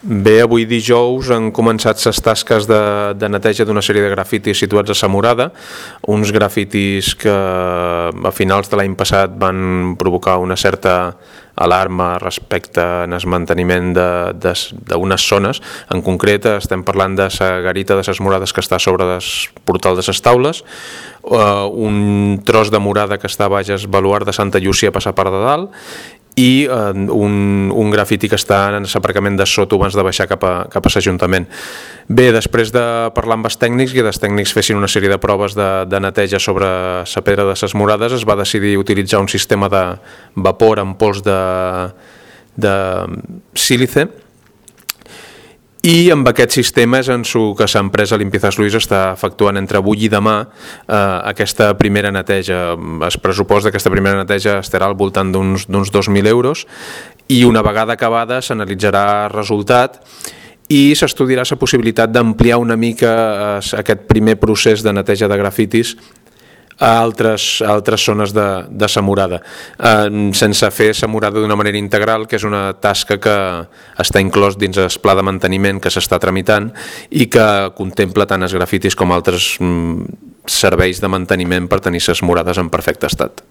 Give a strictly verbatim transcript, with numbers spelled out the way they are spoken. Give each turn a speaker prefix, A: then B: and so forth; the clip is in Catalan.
A: Bé, avui dijous han començat les tasques de, de neteja d'una sèrie de grafitis situats a Sa Morada, uns grafitis que a finals de l'any passat van provocar una certa alarma respecte al manteniment d'unes zones. En concret estem parlant de la garita de les Morades que està sobre el portal de les Taules, uh, un tros de morada que està baix el baluard de Santa Llúcia a passar per de dalt, i eh, un, un grafiti que està en l'aparcament de sota abans de baixar cap a, cap a l'Ajuntament. Bé, després de parlar amb els tècnics i que els tècnics fessin una sèrie de proves de, de neteja sobre la pedra de les Morades, es va decidir utilitzar un sistema de vapor amb pols de, de sílice, i amb aquest sistema és en el que l'empresa Limpiezas Luis està efectuant entre avui i demà eh, aquesta primera neteja. El pressupost d'aquesta primera neteja estarà al voltant d'uns dos mil euros, i una vegada acabada s'analitzarà el resultat i s'estudiarà la possibilitat d'ampliar una mica aquest primer procés de neteja de grafitis a altres, a altres zones de, de Sa Morada, eh, sense fer Sa Morada d'una manera integral, que és una tasca que està inclòs dins el pla de manteniment que s'està tramitant i que contempla tant els grafitis com altres mm, serveis de manteniment per tenir les morades en perfecte estat.